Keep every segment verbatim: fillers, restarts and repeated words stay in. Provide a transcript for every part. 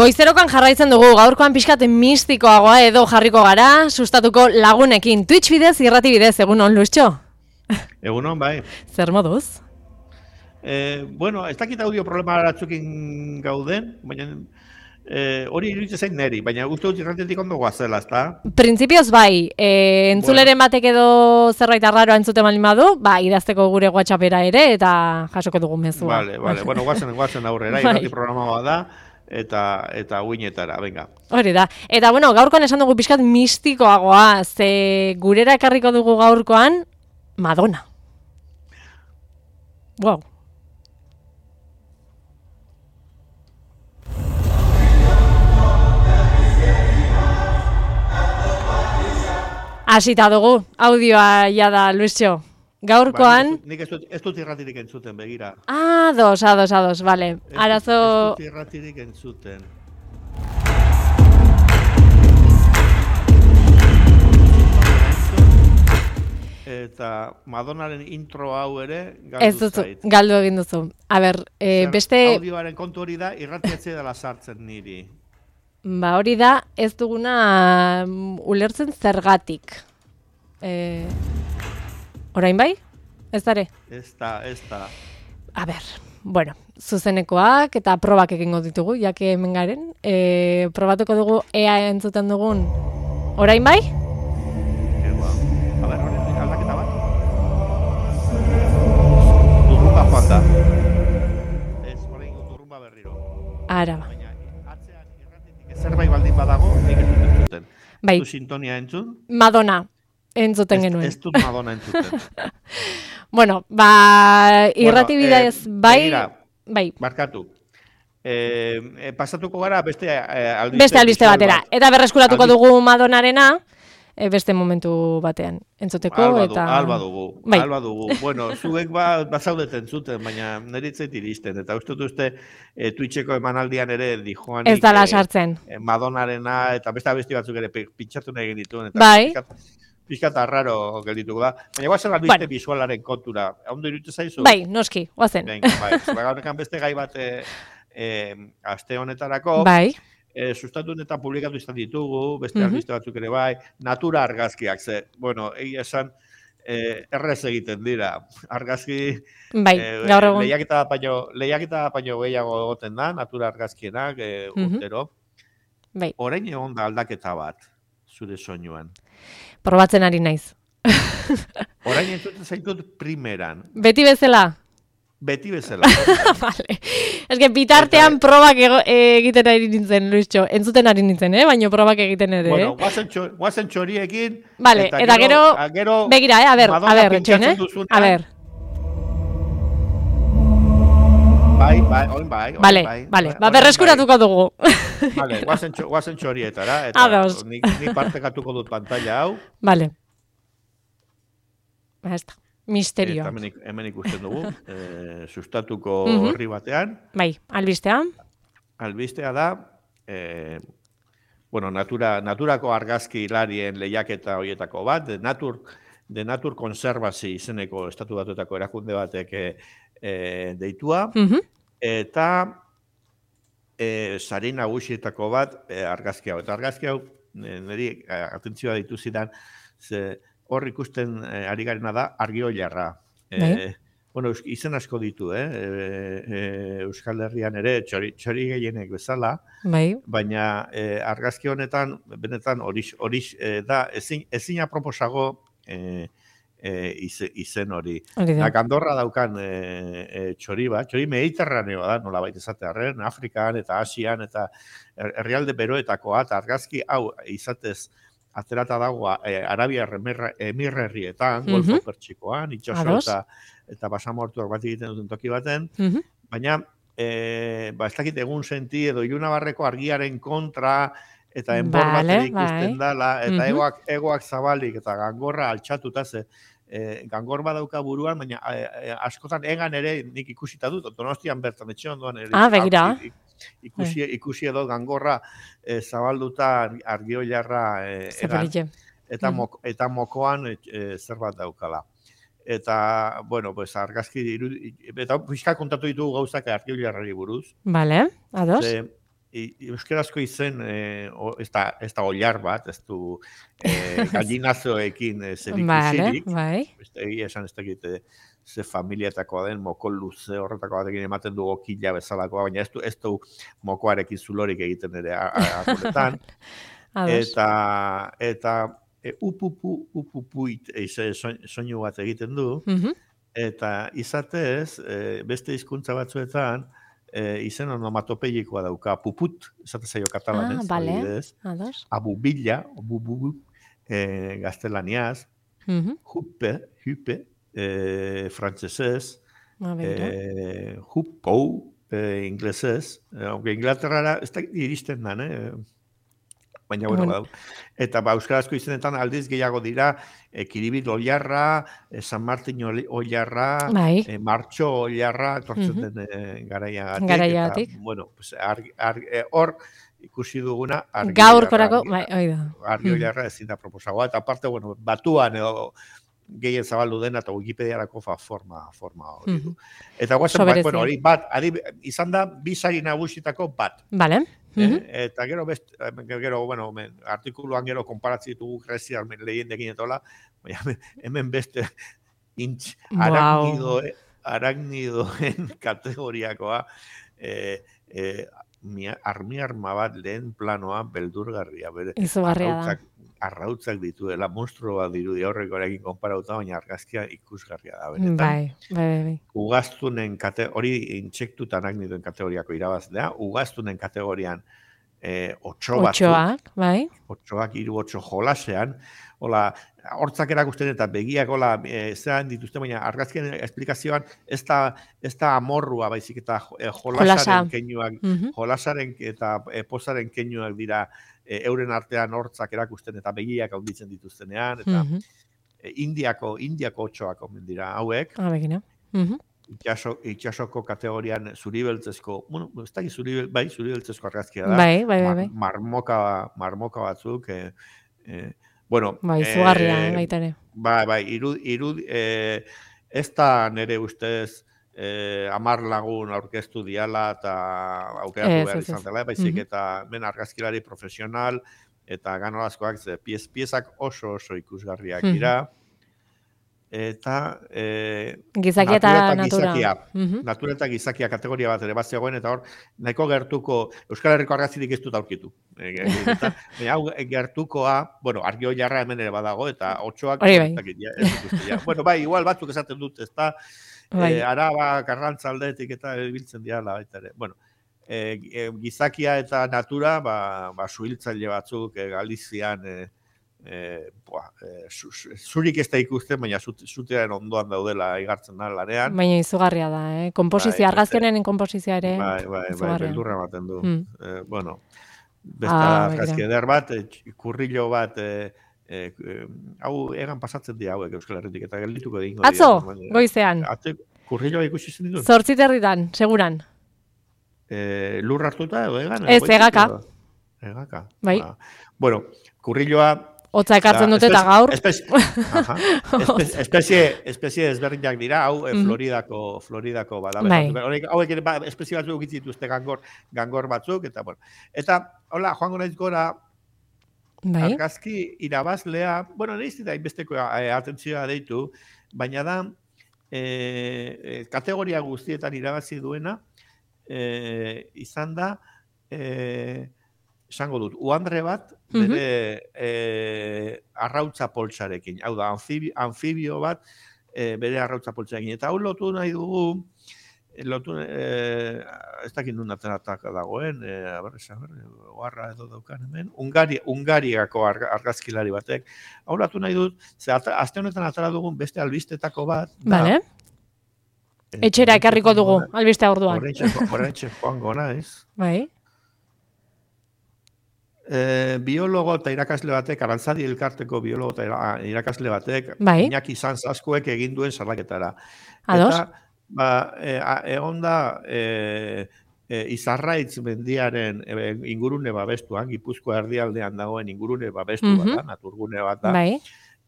Goizerokan jarraitzen dugu, gaurkoan pixkat mistikoagoa edo jarriko gara, sustatuko lagunekin. Twitch bidez, irrati bidez, egunon, Luistxo? Egunon, bai. Zer moduz? Eh, bueno, ez dakit audio problema baratzukin gauden, baina eh, hori iruditzen zain neri, baina uste dut irratietik ondo guazela, ezta? Printzipioz bai, e, entzuleren bueno. batek edo zerbait arraroa entzuten balin badu, ba, idazteko gure WhatsAppera ere eta jasoko dugu mezua. Vale, vale, bueno, guazen, guazen aurrera, irrati programa da. Eta eta uinetara, venga. Hori da. Eta bueno, gaurkoan esan dugu pixkat mistikoagoa, ze gurera ekarriko dugu gaurkoan Madonna. Wow. Hasita dugu, audioa ja da, Luisio. Gaurkoan... Ba, nik ez dut, ez dut irratirik entzuten, begira. Ah, dos, ados, ados, vale. Arazo... Ez dut irratirik entzuten. Eta Madonnaren intro hau ere galdu zait. Galdu egin duzu. A ber, eh, beste... Audioaren kontu hori da, irratiatzea dela sartzen niri. Ba, hori da, ez duguna ulertzen zergatik. Eh... Orain bai? Ez dare? Ez da, ez da. A ber, bueno, zuzenekoak eta probak egingo ditugu, jake hemen garen. E, probatuko dugu ea entzuten dugun. Orain bai? Eba. A ber, orain aldaketa bat. Durrumba joan da. Ez, orain durrumba berriro. Ara ba. Baina, atzean irratitik zerbait baldin badago, nik ez dut entzuten. Bai. Du sintonia entzun? Madonna. Entzuten genuen. Ez dut Madonna entzuten. Bueno, ba, irrati bueno, bidez, eh, bai, begira, bai. Barkatu. Eh, eh, pasatuko gara beste eh, albiste, beste albiste batera. bat. Eta berreskuratuko Albiste. dugu Madonnarena, eh, beste momentu batean entzuteko. Alba eta... dugu, alba dugu, bai. alba dugu. Bueno, zuek ba, bazaudeten zuten, baina neritzait iristen. Eta uste dut uste eh, Twitcheko emanaldian ere dijoanik... Ez dala sartzen. Eh, Madonnarena eta beste abesti batzuk ere pitxatu nahi genituen. Eta bai. Piskat arraro geldituko da. Baina guazen albiste bueno. visualaren kontura. Ondo iruditzen zaizu? Bai, noski, guazen. Venga, bai. Gaurrekan beste gai bat e, e, aste honetarako. Bai. E, sustatu eta publikatu izan ditugu, beste Mm-hmm. albiste batzuk ere bai. Natura argazkiak, ze, bueno, egia esan, e, errez egiten dira. Argazki... Bai, e, gaur egun. Lehiaketa paino, lehiaketa paino gehiago egoten da, natura argazkienak, e, Mm-hmm. urtero. Bai. Orain egon da aldaketa bat, zure soinuan. Probatzen ari naiz. Orain entzuten zaitut primeran. Beti bezala? Beti bezala. Vale. Ez que bitartean eta... probak ego, egiten ari nintzen, Luisxo. Entzuten ari nintzen, eh? Baina probak egiten ere, bueno, eh? guazen, txo, guazen txoriekin. Vale, eta, eta gero, gero, begira, eh? A ber, a ber, etxoen, eh? Duzunean, a ber. Bai, bai, oin bai. Oin vale, bai, vale, ba, berreskuratuko bai. dugu. Vale, guazen, txo, guazen txorietara. Eta Ados. Nik, nik partekatuko dut pantalla hau. Vale. Ba, ez da. Misterioa. Eta hemen, hemen ikusten dugu, eh, sustatuko mm-hmm. horri batean. Bai, albistea. Albistea da, eh, bueno, natura, naturako argazki hilarien lehiaketa horietako bat, de natur, de natur konservazi izeneko estatu batuetako erakunde batek eh, deitua, mm-hmm. eta eh, sari nagusietako bat eh, argazki hau. Eta argazki hau, eh, niri atentzioa ditu zidan, ze hor ikusten eh, ari garena da argioilarra. Eh, bueno, izen asko ditu, eh? E, e, Euskal Herrian ere txori, txori gehienek bezala, bai. Baina eh, argazki honetan, benetan hori eh, da, ezin, ezin aproposago eh, eh, izen hori. Da, Andorra daukan eh, eh, txori bat, txori mediterraneo da, nola baita esatearren, Afrikan eta Asian eta herrialde beroetakoa, eta argazki hau izatez aterata dagoa eh, Arabia Emirerrietan, mm-hmm. Golfo Pertsikoan, itxaso eta, eta basamortuak bat egiten duten toki baten, mm-hmm. baina eh, ba, ez dakit egun senti edo Ilunabarreko argiaren kontra eta enbor vale, bat ikusten bai. Dala, eta mm-hmm. egoak, egoak zabalik eta gangorra altxatuta ze, eh, gangor badauka buruan, baina eh, askotan egan ere nik ikusita dut, Donostian bertan etxe ondoan ere. Ah, begira. Ikusi, ikusi edo gangorra eh, zabalduta argioilarra eh, egan, eta, mok, eta mokoan eh, zerbat daukala. Eta, bueno, pues argazki, eta pixka kontatu ditugu gauzak argioilarrari buruz. Vale, ados. Ze, euskarazko izen, e, o, ez da, ez da oilar bat, ez du e, gallinazoekin e, zer ikusirik, bai. egia esan ez dakit, e, ze familiatakoa den, moko luze horretako batekin ematen du okila bezalakoa, baina ez du, ez du mokoarekin zulorik egiten ere akoretan. eta, eta e, upupu, upupuit e, soinu bat egiten du, mm-hmm. eta izatez, e, beste hizkuntza batzuetan, E, izen onomatopeikoa dauka, puput, esate zaio katalanez, ah, vale. abubila, abububu, e, gaztelaniaz, mm-hmm. hupe, hupe, e, frantzesez, e, hupou, e, inglesez, e, Inglaterrara, ez da iristen dan, eh? Baina, bueno, bueno. Eta ba, euskarazko izenetan aldiz gehiago dira, e, Kiribit oilarra, e, San Martin oilarra, bai. e, Martxo oilarra, tortzen mm-hmm. den e, garaiagatik. Garaiagatik. Bueno, pues, argi, argi, e, or, ikusi duguna, argi gaurkorako, bai, oida. Argi oilarra ezin da proposagoa, eta aparte, bueno, batuan edo gehien zabaldu dena, eta Wikipediarako fa, forma, forma hori du. Mm-hmm. Eta guazen, bat, bueno, hori bat, ari, izan da, bizari nagusitako bat. Vale. Mm-hmm. Eh? Eta gero, best, gero bueno, men, artikuluan gero konparatzi ditugu Greziar lehendekin etola, hemen beste intz, aragnido, wow. aragnidoen kategoriakoa, eh, eh, armi-arma bat lehen planoa beldurgarria. Izugarria da. Arrautzak dituela, monstrua dirudi horreko erekin konparauta, baina argazkia ikusgarria da. Benetan. Bai, bai, bai. Ugaztunen, kate, hori intsektuta aragnidoen kategoriako irabazlea, ugaztunen kategorian eh, otxo batzuk. Otxoak, bai. Otxoak, hiru otxo jolasean. Hola, hortzak erakusten eta begiak hola, e, zean dituzte, baina argazkien esplikazioan ez da, ez da amorrua, baizik eta e, jolasaren keinuak, mm-hmm. jolasaren eta e, pozaren keinuak dira e, euren artean hortzak erakusten eta begiak handitzen dituztenean, eta mm-hmm. e, indiako, indiako otxoak omen dira hauek. Ah, begina. Mm-hmm. Itxaso, itxasoko kategorian zuribeltzezko, bueno, ez da zuribel, bai, zuribeltzezko argazkia da. Bai, bai, bai. bai. Mar, marmoka, marmoka batzuk, e, e, bueno, bai, zugarria, eh, baita ere. Bai, bai, irud, irud, eh, ez da nire ustez eh, amar lagun aurkeztu diala eta aukeratu behar izan dela, baizik mm-hmm. eta men argazkilari profesional eta ganolazkoak, piez, piezak oso oso ikusgarriak dira. Mm-hmm. Eta eh, gizakia eta natura. Gizakia, mm-hmm. Natura eta gizakia kategoria bat ere bat zegoen, eta hor, nahiko gertuko, Euskal Herriko argazkirik ez dut aurkitu. Baina hau gertukoa, bueno, argi oilarra hemen ere badago, eta otxoak... Hori bai. Ja, ja. Bueno, bai, igual batzuk esaten dut, ez da, bai. eh, Araba, Karrantzaldetik eta biltzen diala, baita ere. Bueno, eh, gizakia eta natura, ba, ba suhiltzaile batzuk, eh, Galizian... Eh, Eh, boa, eh, zurik ez da ikusten, baina zutearen ondoan daudela igartzen da larean. Baina izugarria da, eh? Komposizia, bai, argazkenen komposizia ere. Bai, bai, bai, beldurra ematen du. Mm. Eh, bueno, besta ah, argazki eder bat, eh, kurrillo bat, eh, eh, hau egan pasatzen dira hauek Euskal Herritik, eta geldituko egingo dira. Atzo, goizean. Atzo, kurrilloa ikusi zen ditun? Zortziterritan, seguran. Eh, lur hartuta edo egan? Ez, egaka. Egaka. Bai. Ah, bueno, kurrilloa Otza ekartzen dute eta gaur. Espezie, espezie, espezie ezberdinak dira, hau mm-hmm. Floridako, Floridako bada. Bai. Hauek ere ba, espezie batzuk ukitzen dituzte gangor, gangor batzuk, eta bueno. Eta, hola, joango naiz gora, bai. Argazki irabazlea, bueno, nahiz da inbesteko e, atentzioa deitu, baina da, e, kategoria guztietan irabazi duena, e, izan da, e, esango dut, uandre bat, bere mm-hmm. e, arrautza poltsarekin. Hau da, anfibio, anfibio bat, e, bere arrautza poltsarekin. Eta hau lotu nahi dugu, lotu, e, ez dakit nun ateratak dagoen, e, abar, abar, oarra edo daukan hemen, Ungari, Ungariako argazkilari batek. Hau lotu nahi dut, ze azte honetan atera dugun beste albistetako bat. Vale. Da, etxera ekarriko dugu, albistea orduan. Horreintxe joango naiz. Bai. E, biologo eta irakasle batek, Arantzadi elkarteko biologo eta irakasle batek, bai. Iñaki Sanz askoek egin duen salaketara. Ados? Eta, ba, e, egon da, e, e, Izarraitz mendiaren e, ingurune babestuan, Gipuzkoa erdialdean dagoen ingurune babestu mm-hmm. bat da, naturgune bat da. Bai.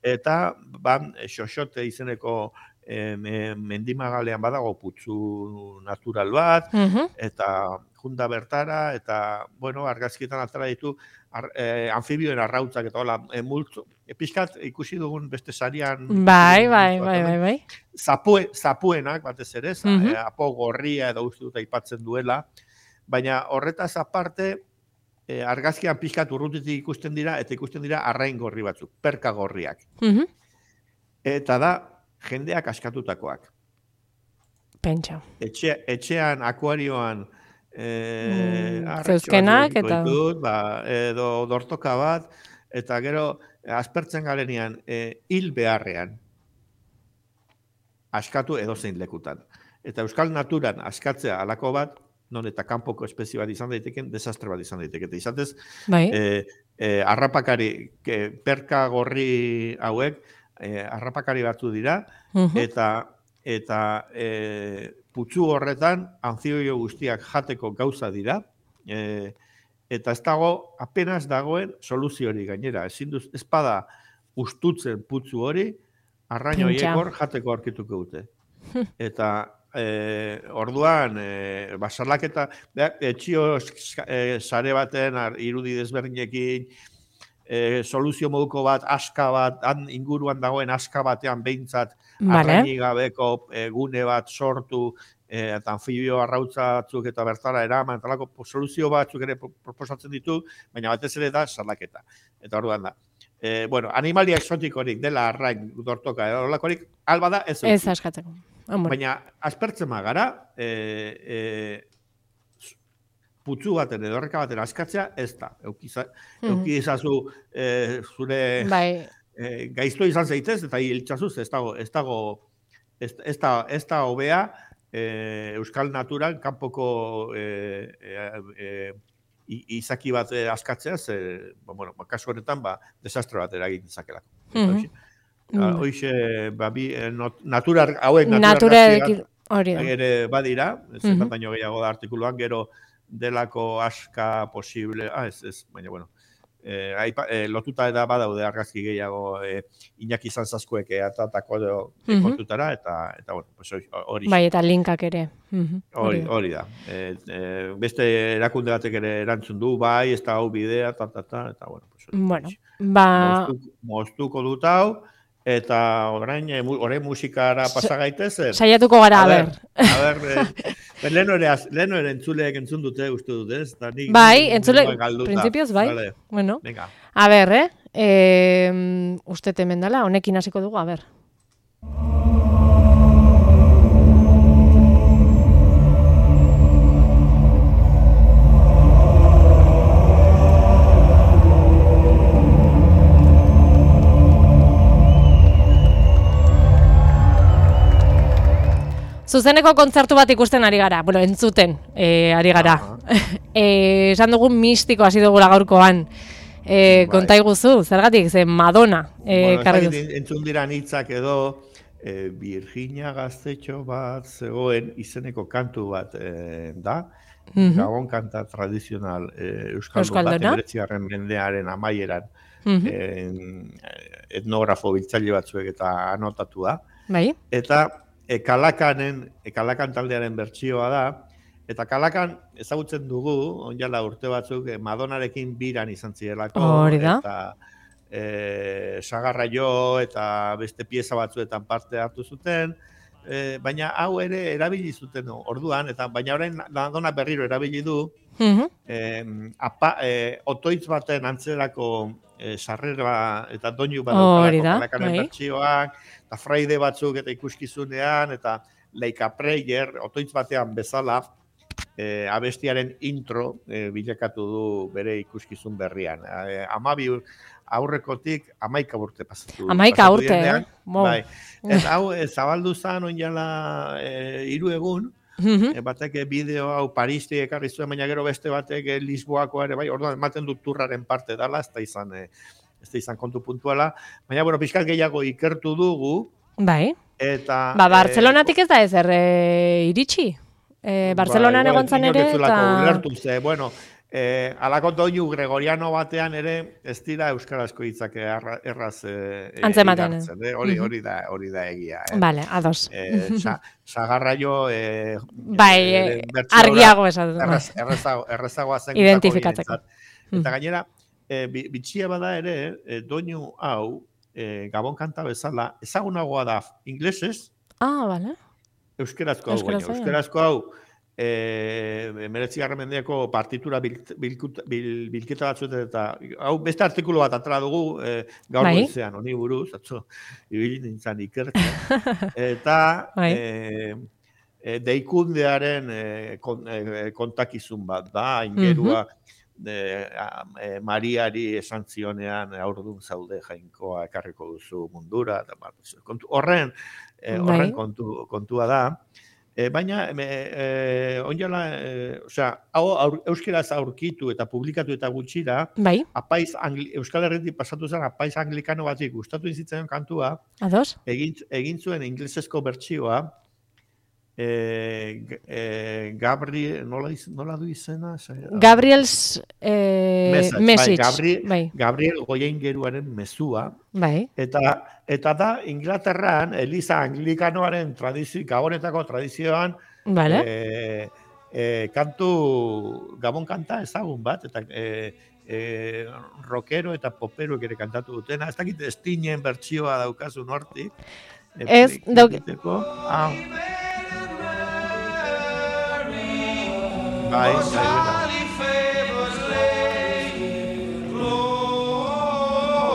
Eta, ban, Xoxote izeneko e, mendimagalean badago putzu natural bat, uh-huh. eta junda bertara, eta, bueno, argazkietan atara ditu, ar, e, anfibioen arrautzak eta hola, e, multzo, e, pixkat ikusi dugun beste sarian... Bai, bai, bai, bai, bai. Zapue, zapuenak, batez ere, za, uh-huh. e, apo gorria edo uste dut aipatzen duela, baina horretaz aparte, e, argazkian pixkat urrutitik ikusten dira, eta ikusten dira arrain gorri batzuk, perka gorriak. Uh-huh. Eta da, jendeak askatutakoak. Pentsa. Etxe, etxean, akuarioan, e, mm, zeuzkenak, eta... Ditut, ba, edo dortoka bat, eta gero, aspertzen galenean, e, hil beharrean, askatu edozein lekutan. Eta euskal naturan askatzea alako bat, non eta kanpoko espezie bat izan daiteken, desastre bat izan daiteke. Eta izatez, bai. e, e, arrapakari, e, perka gorri hauek, e, arrapakari batzu dira, uh-huh. eta eta e, putzu horretan, anfibio guztiak jateko gauza dira, e, eta ez dago, apenas dagoen soluzio hori gainera. Ezin duz, ez bada ustutzen putzu hori, arraino hiekor jateko aurkituko dute. Eta E, orduan, e, basalaketa, etxio e, sare baten, ar, irudi desberdinekin, e, soluzio moduko bat, aska bat, han inguruan dagoen aska batean behintzat, vale. Arraini gabeko e, gune bat sortu, e, eta anfibio arrautzatzuk eta bertara eraman, eta lako soluzio batzuk ere proposatzen ditu, baina batez ere da salaketa. Eta orduan da. E, bueno, animalia exotikorik dela arrain dortoka, edo lakorik, alba da ez. Ez askatzeko. Amor. Baina, aspertzen magara, e, e, putzu baten edo horreka baten askatzea, ez da. Eukiza, mm-hmm. Eukizazu e, zure bai. e, gaizto izan zaitez, eta hiltzazuz, ez dago, ez dago, ez, ez da, ez da hobea e, euskal naturan kanpoko e, e, e, izaki bat askatzea, ze, ba, bueno, kasu honetan, ba, desastre bat eragin dezakelako. Mm-hmm. Mm. Hoxe, ba, bi, not, natura, hauek natural hori da. Ere badira, ez mm-hmm. baino gehiago da artikuluan, gero delako aska posible, ah, ez, ez, baina, bueno, eh, aipa, eh, lotuta da badaude argazki gehiago eh, Iñaki Zanzazkoek atatako mm-hmm. kontutara, eta, eta bueno, pues hori. Bai, eta linkak ere. Hori, hori da. Eh, eh, beste erakunde batek ere erantzun du, bai, ez da hau bidea, ta, ta, ta, eta, bueno, pues hori. Bueno, ba... Moztuko, moztuko dut hau, eta orain, orain musikara pasa gaitezen. Saiatuko gara, a ber. A ber, eh, leheno ere, leheno ere entzuleek entzun dute, uste dut, ez? Nik, bai, entzule, prinsipioz, bai. Vale. Bueno, venga. A ber, eh? eh uste temen dala, honekin hasiko dugu, a ber. Zuzeneko kontzertu bat ikusten ari gara, bueno, entzuten e, ari gara. e, esan dugu mistiko hasi dugula gaurkoan. E, konta iguzu, zergatik, ze Madonna. E, bueno, entzun dira hitzak edo e, Virginia Gaztetxo bat zegoen izeneko kantu bat e, da. Mm-hmm. Gabon kanta tradizional e, euskaldun bat, emeretzigarren mendearen amaieran mm-hmm. e, etnografo biltzaile batzuek eta anotatu da. Bai. Eta E, Kalakanen, e, Kalakan taldearen bertsioa da, eta Kalakan ezagutzen dugu, onjala urte batzuk, e, Madonarekin biran izan zirelako, hori da. Eta e, Sagarra Jo eta beste pieza batzuetan parte hartu zuten, e, baina hau ere erabili zuten orduan, eta baina orain Madonna berriro erabili du, uh-huh. e, apa, e, otoitz baten antzerako e, sarrera eta doinu bat daukalako Kalakanen bertsioak, eta fraide batzuk eta ikuskizunean, eta Leica Prayer, otoitz batean bezala, e, abestiaren intro e, bilakatu du bere ikuskizun berrian. E, amabi aurrekotik amaika urte pasatu. Amaika urte, eh? Bai. Eta hau e, zabaldu zan onjala e, hiru egun, mm-hmm. e, batek bideo hau Paristi ekarri zuen, baina gero beste batek e, Lisboakoa ere, bai, orduan ematen dut turraren parte dela, ez da izan... E, ez da izan kontu puntuala, baina, bueno, pixkat gehiago ikertu dugu. Bai. Eta... Ba, Bartzelonatik ez da ezer e, iritsi. E, Bartzelonan ba, egon zan ere, eta... Ulertu ze, bueno, Eh, alako doinu gregoriano batean ere ez dira euskarazko hitzak erraz eh, antzematen. Eh? Hori hori da, hori da egia. Eh? Vale, ados. Eh, sa, sagarraio eh, bai, eh, argiago esatu. Erraz, errazago, errazagoa zen identifikatzeko. Eta gainera, eh, bitxia bada ere, eh, doinu hau, eh, Gabon kanta bezala, ezagunagoa da inglesez. Ah, vale. Euskerazko hau, baina. Euskerazko hau, Eh, meretzigarren mendeako partitura bilketa bil, bil, bil, batzuetan eta hau beste artikulu bat atera dugu eh, gaur bai? Goizean, honi buruz, atzo, ibili nintzen ikertzen. Eta bai? eh, eh, deikundearen eh, kon, eh, kontakizun bat da, ingerua uh-huh. eh, eh, Mariari esan zionean aurdun zaude jainkoa ekarriko duzu mundura. Eta, kontu, horren eh, horren bai? kontu, kontua da. E, baina, e, e, onjala, e, osea, hau aur, euskeraz aurkitu eta publikatu eta gutxira, bai? Apaiz angli, Euskal Herritik pasatu zen apaiz anglikano batik gustatu izitzen kantua, ados? Egin, egin zuen inglesezko bertsioa, e, e, Gabriel, nola, iz, nola du izena? Gabriel's eh, message. message. Bai, Gabriel, bai. Gabriel Goiaingeruaren mezua. Bai. Eta, eta da, Inglaterran, Eliza Anglikanoaren tradizio, gabonetako tradizioan, vale. e, e, kantu, gabon kanta ezagun bat, eta e, e, rockero eta popero ere kantatu dutena. Ez dakit estinen bertsioa daukazun hortik. Ez, dauk... Ah. Bai, bai,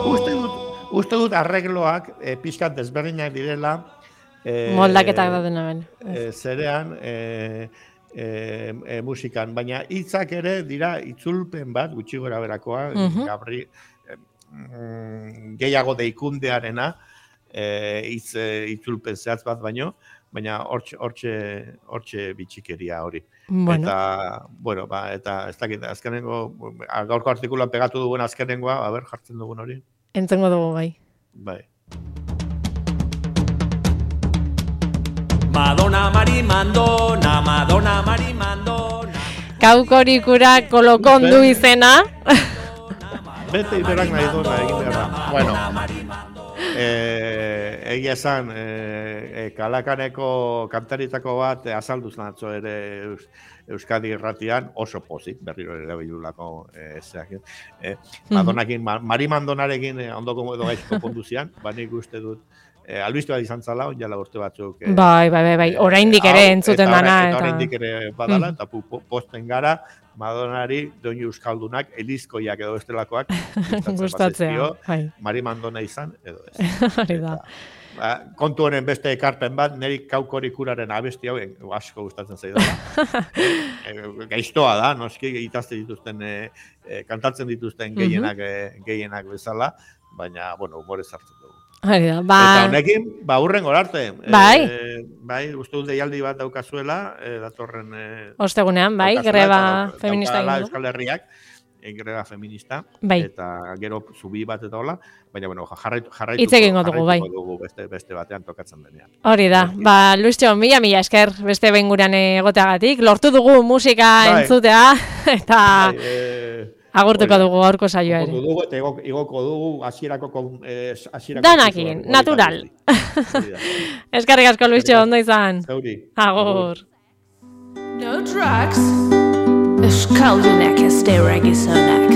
Uste dut, uste dut arregloak e, pixkat desberdinak direla. E, Moldaketak da dena ben. E, zerean e, e, e, musikan, baina hitzak ere dira itzulpen bat, gutxi gora berakoa, uh-huh. Gabri, e, mm, gehiago deikundearena, hitz e, itzulpen zehatz bat baino, baina hortxe, hortxe, hortxe bitxikeria hori. Bueno. Eta, bueno, ba, eta ez dakit, azkenengo, gaurko artikuloan pegatu dugun azkenengoa, a ber, jartzen dugun hori. Entzengo dugu, bai. Bai. Madonna Mari Mandona, Madonna Mari Mandona. Kaukorikura kolokondu izena. Bete iberak nahi duena egin behar da. Bueno, eh, egia esan, eh, Kalakaneko kantaritako bat azalduz natzo ere Eus, Euskadi irratian, oso pozik, berriro ere bilulako eh, zeak. Eh, Madonakin, Mari Mandonarekin eh, ondoko edo gaizko konduzian, banik uste dut, eh, albiste bat izan zala, onjala urte batzuk. Eh, bai, bai, bai, bai, oraindik ere entzuten dana. Eta oraindik ere badala, eta mm. posten gara, Madonari, doinu euskaldunak, elizkoiak edo bestelakoak, gustatzea, bai. Mari Mandona izan, edo ez. Hori da. Ba, kontu honen beste ekarpen bat, niri Kaukorikuraren abesti hau asko gustatzen zaidala. e, gaiztoa da, noski itazte dituzten, e, e, kantatzen dituzten gehienak, e, gehienak bezala, baina, bueno, humorez hartzen dugu. Hori da, ba... Eta honekin, ba, hurren gorarte. Bai. E, bai, uste dut deialdi bat daukazuela, e, datorren... E, Ostegunean, bai, greba feminista egin Euskal Herriak, e, greba feminista, bai. Eta gero zubi bat eta hola, baina, bueno, jarraitu, jarraitu, Itz egingo dugu, bai. dugu beste, beste batean tokatzen denean. Hori da, ba, Luistxo, mila mila esker beste behin gurean egoteagatik, lortu dugu musika bai. Entzutea, eta... Bai, e, agurtuko dugu gaurko saioa ere. Dugu, eta igoko dugu hasierako eh, danakin, natural. Eskerrik asko, Luistxo, ondo izan. Zauri. Agur. No drugs. Euskaldunak ez deurek izanak.